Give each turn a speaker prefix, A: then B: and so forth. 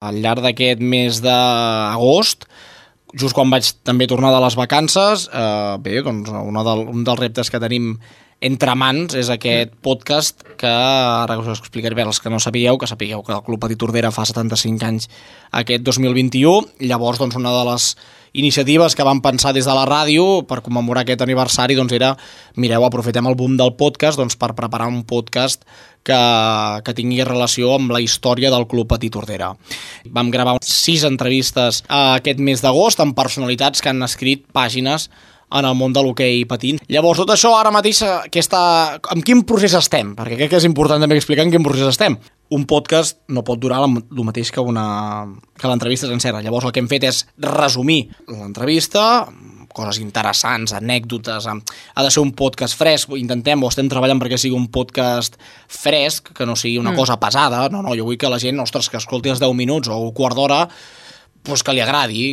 A: Al llarg d'aquest mes d'agost, just quan vaig també tornar de les vacances, doncs un dels reptes que tenim entre mans és aquest podcast que ara us explicaré per als que no sapigueu, que el Club Petit Tordera fa 75 anys aquest 2021. Llavors, doncs, una de les iniciatives que vam pensar des de la ràdio per commemorar aquest aniversari doncs era, mireu, aprofitem el boom del podcast doncs, per preparar un podcast que tingui relació amb la història del Club Petit Tordera. Vam gravar 6 entrevistes aquest mes d'agost amb personalitats que han escrit pàgines en el món de l'hoquei patins. Llavors, tot això ara mateix, en quin procés estem? Perquè crec que és important també explicar en quin procés estem. Un podcast no pot durar el mateix que l'entrevista sencera. Llavors, el que hem fet és resumir l'entrevista, coses interessants, anècdotes. Ha de ser un podcast fresc. Estem treballant perquè sigui un podcast fresc, que no sigui una cosa pesada. No, jo vull que la gent, que escolti els 10 minuts o un quart d'hora, que li agradi.